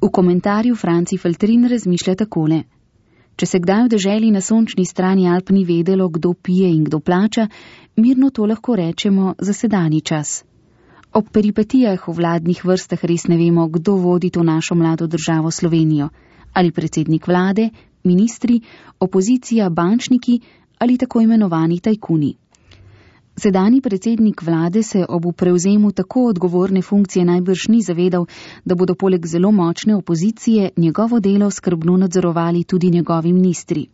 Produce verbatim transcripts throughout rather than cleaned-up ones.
V komentarju Franci Feltrin razmišlja takole. Če se kdaj v deželi na sončni strani Alp ni vedelo, kdo pije in kdo plača, mirno to lahko rečemo za sedanji čas. Ob peripetijah v vladnih vrstah res ne vemo, kdo vodi to našo mlado državo Slovenijo. Ali predsednik vlade, ministri, opozicija, bančniki ali tako imenovani tajkuni. Sedanji predsednik vlade se ob prevzemu tako odgovorne funkcije najbrž ni zavedal, da bodo poleg zelo močne opozicije njegovo delo skrbno nadzorovali tudi njegovi ministri.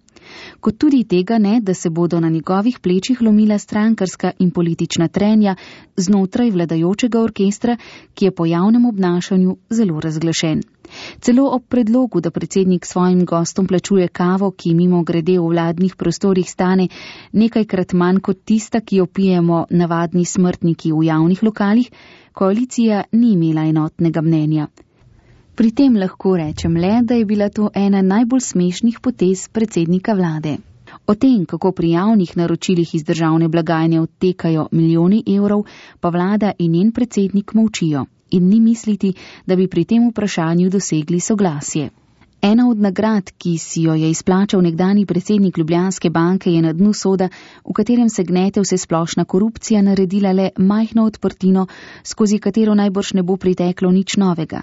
Kot tudi tega ne, da se bodo na njegovih plečih lomila strankarska in politična trenja znotraj vladajočega orkestra, ki je po javnem obnašanju zelo razglašen. Celo ob predlogu, da predsednik svojim gostom plačuje kavo, ki mimo grede v vladnih prostorih stane nekajkrat manj kot tista, ki jo pijemo navadni smrtniki v javnih lokalih, koalicija ni imela enotnega mnenja. Pri tem lahko rečem le, da je bila to ena najbolj smešnih potez predsednika vlade. O tem, kako pri javnih naročilih iz državne blagajne odtekajo milijoni evrov, pa vlada in njen predsednik molčijo in ni misliti, da bi pri tem vprašanju dosegli soglasje. Ena od nagrad, ki si jo je izplačal nekdani predsednik Ljubljanske banke, je na dnu soda, v katerem se gnete vse splošna korupcija, naredila le majhno odprtino, skozi katero najbrž ne bo priteklo nič novega.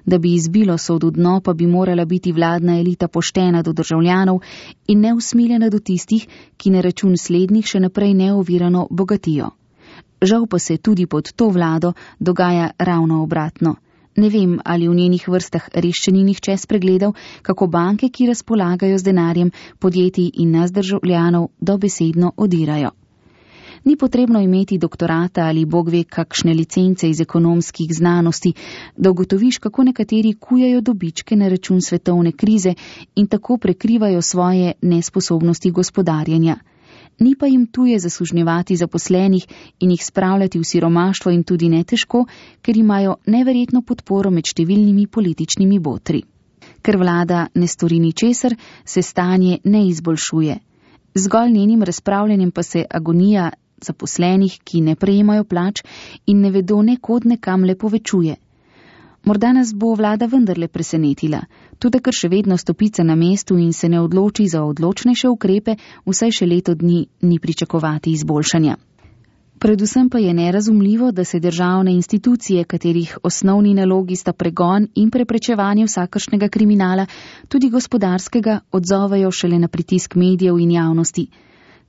Da bi izbilo sod v dno, pa bi morala biti vladna elita poštena do državljanov in neusmiljena do tistih, ki na račun slednjih še naprej neovirano bogatijo. Žal pa se tudi pod to vlado dogaja ravno obratno. Ne vem, ali v njenih vrstah res še ni nihče spregledal, kako banke, ki razpolagajo z denarjem podjetij in nas državljanov, dobesedno odirajo. Ni potrebno imeti doktorata ali bog ve kakšne licence iz ekonomskih znanosti, da ugotoviš, kako nekateri kujajo dobičke na račun svetovne krize in tako prekrivajo svoje nesposobnosti gospodarjenja. Ni pa jim tuje zasužnjevati zaposlenih in jih spravljati v siromaštvo in tudi ne težko, ker imajo neverjetno podporo med številnimi političnimi botri. Ker vlada ne stori ničesar, se stanje ne izboljšuje. Zgolj njenim razpravljanjem pa se agonija zaposlenih, ki ne prejemajo plač in ne vedo nekod nekam le povečuje. Morda nas bo vlada vendarle presenetila, tudi ker še vedno stopica na mestu in se ne odloči za odločnejše ukrepe, vsaj še leto dni ni pričakovati izboljšanja. Predvsem pa je nerazumljivo, da se državne institucije, katerih osnovni nalogi sta pregon in preprečevanje vsakršnega kriminala, tudi gospodarskega, odzovejo šele na pritisk medijev in javnosti.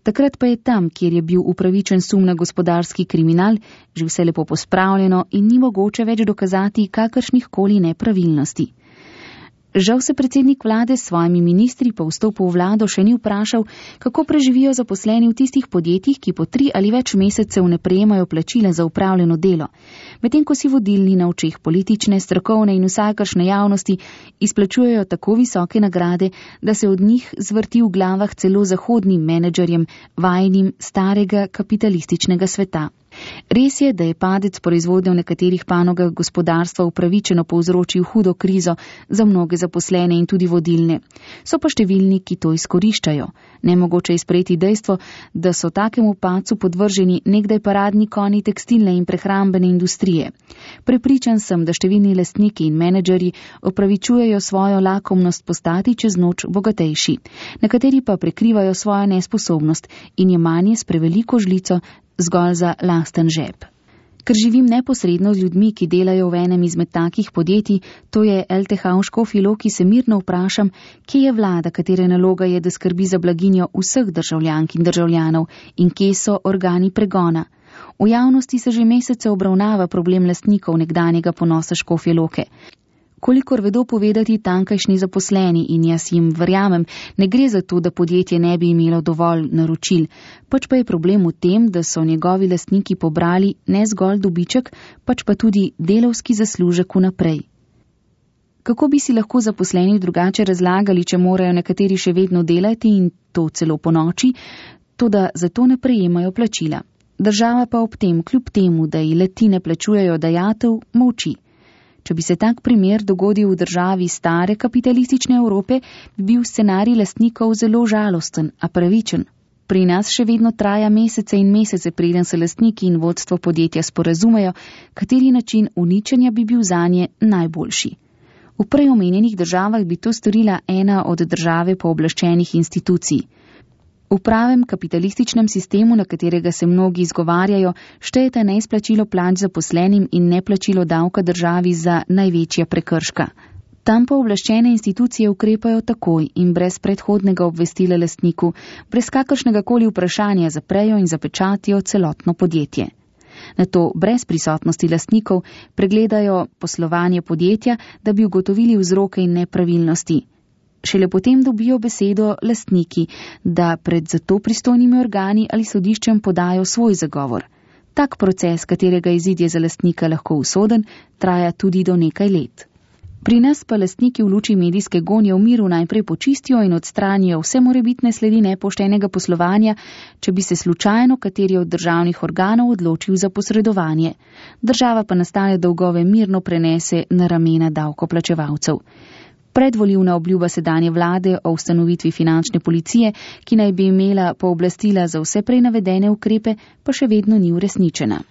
Takrat pa je tam, kjer je bil upravičen sum na gospodarski kriminal, že vse lepo pospravljeno in ni mogoče več dokazati kakršnih koli nepravilnosti. Žal se predsednik vlade s svojimi ministri po vstopu v vlado še ni vprašal, kako preživijo zaposleni v tistih podjetjih, ki po tri ali več mesecev ne prejemajo plačila za upravljeno delo, medtem ko si vodilni na očeh politične, strokovne in vsakršne javnosti izplačujejo tako visoke nagrade, da se od njih zvrti v glavah celo zahodnim menedžerjem, vajnim starega kapitalističnega sveta. Res je, da je padec proizvodnje v nekaterih panogah gospodarstva upravičeno povzročil hudo krizo za mnoge zaposlene in tudi vodilne. So pa številni, ki to izkoriščajo. Nemogoče je sprejeti dejstvo, da so takemu padcu podvrženi nekdaj paradni konji tekstilne in prehrambene industrije. Prepričan sem, da številni lastniki in menedžerji opravičujejo svojo lakomnost postati čez noč bogatejši. Nekateri pa prekrivajo svojo nesposobnost in jemanje s preveliko žlico zgolj za lasten žep. Ker živim neposredno z ljudmi, ki delajo v enem izmed takih podjetij, to je L T H v Škofji Loki, se mirno vprašam, kje je vlada, katere naloga je, da skrbi za blaginjo vseh državljank in državljanov in kje so organi pregona. V javnosti se že mesece obravnava problem lastnikov nekdanjega ponosa Škofje Loke. Kolikor vedo povedati tankajšnji zaposleni in jaz jim verjamem, ne gre za to, da podjetje ne bi imelo dovolj naročil, pač pa je problem v tem, da so njegovi lastniki pobrali ne zgolj dobiček, pač pa tudi delavski zaslužek vnaprej. Kako bi si lahko zaposleni drugače razlagali, če morajo nekateri še vedno delati in to celo po noči, toda zato ne prejemajo plačila. Država pa ob tem, kljub temu, da ji le-ti ne plačujejo dajatev, molči. Če bi se tak primer dogodil v državi stare kapitalistične Evrope, bi bil scenarij lastnikov zelo žalosten, a pravičen. Pri nas še vedno traja mesece in mesece, preden se lastniki in vodstvo podjetja sporazumejo, kateri način uničenja bi bil zanje najboljši. V prej omenjenih državah bi to storila ena od države pooblaščenih institucij. V pravem kapitalističnem sistemu, na katerega se mnogi izgovarjajo, štejete neizplačilo plač zaposlenim in neplačilo davka državi za največja prekrška. Tam pooblaščene institucije ukrepajo takoj in brez predhodnega obvestila lastniku, brez kakršnega koli vprašanja zaprejo in zapečatijo celotno podjetje. Nato brez prisotnosti lastnikov pregledajo poslovanje podjetja, da bi ugotovili vzroke in nepravilnosti. Šele potem dobijo besedo lastniki, da pred zato pristojnimi organi ali sodiščem podajo svoj zagovor. Tak proces, katerega izid je za lastnika lahko usoden, traja tudi do nekaj let. Pri nas pa lastniki v luči medijske gonje v miru najprej počistijo in odstranijo vse morebitne sledi nepoštenega poslovanja, če bi se slučajno kateri od državnih organov odločil za posredovanje. Država pa nastale dolgove mirno prenese na ramena davkoplačevalcev. Predvolilna obljuba sedanje vlade o ustanovitvi finančne policije, ki naj bi imela pooblastila za vse prej navedene ukrepe, pa še vedno ni uresničena.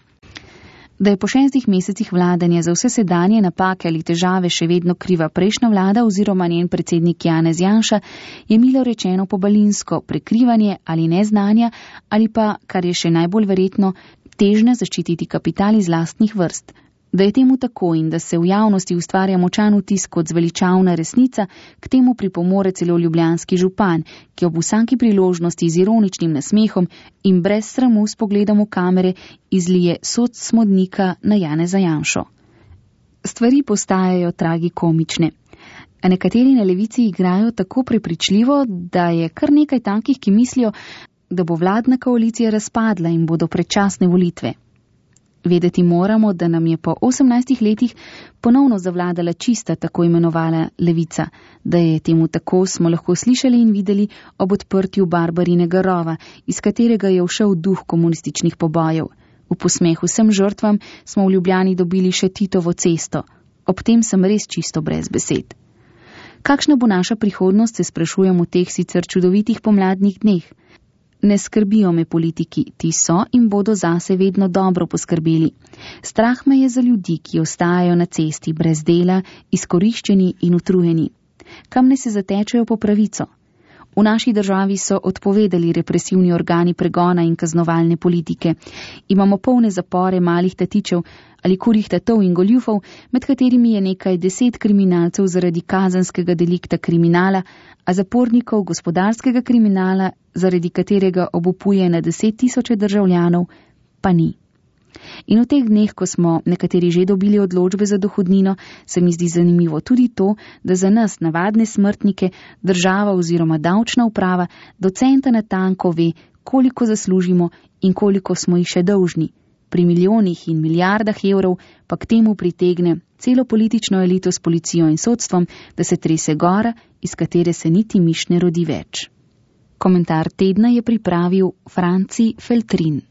Da je po šestih mesecih vladanja za vse sedanje napake ali težave še vedno kriva prejšnja vlada oziroma njen predsednik Janez Janša, je milo rečeno pobalinsko prekrivanje ali neznanja ali pa, kar je še najbolj verjetno, težnja zaščititi kapital iz lastnih vrst. Da je temu tako in da se v javnosti ustvarja močan vtis kot zveličavna resnica, k temu pripomore celo ljubljanski župan, ki ob vsaki priložnosti z ironičnim nasmehom in brez sramu s pogledom v kamere izlije sod smodnika na Janeza Janšo. Stvari postajajo tragikomične. A nekateri na levici igrajo tako prepričljivo, da je kar nekaj takih, ki mislijo, da bo vladna koalicija razpadla in bodo predčasne volitve. Vedeti moramo, da nam je po osemnajstih letih ponovno zavladala čista tako imenovana levica. Da je temu tako, smo lahko slišali in videli ob odprtju Barbarinega rova, iz katerega je všel duh komunističnih pobojev. V posmeh vsem žrtvam smo v Ljubljani dobili še Titovo cesto. Ob tem sem res čisto brez besed. Kakšna bo naša prihodnost, se sprašujem v teh sicer čudovitih pomladnih dneh. Ne skrbijo me politiki, ti so in bodo zase vedno dobro poskrbeli. Strah me je za ljudi, ki ostajajo na cesti brez dela, izkoriščeni in utrujeni. Kam ne se zatečejo po pravico? V naši državi so odpovedali represivni organi pregona in kaznovalne politike. Imamo polne zapore malih tatičev ali kurjih tatov in goljufov, med katerimi je nekaj deset kriminalcev zaradi kazenskega delikta kriminala, a zapornikov gospodarskega kriminala, zaradi katerega obupuje na deset tisoče državljanov, pa ni. In v teh dneh, ko smo nekateri že dobili odločbe za dohodnino, se mi zdi zanimivo tudi to, da za nas, navadne smrtnike, država oziroma davčna uprava do centa natanko ve, koliko zaslužimo in koliko smo jih še dolžni. Pri milijonih in milijardah evrov pa k temu pritegne celo politično elito s policijo in sodstvom, da se trese gora, iz katere se niti miš ne rodi več. Komentar tedna je pripravil Franci Feltrin.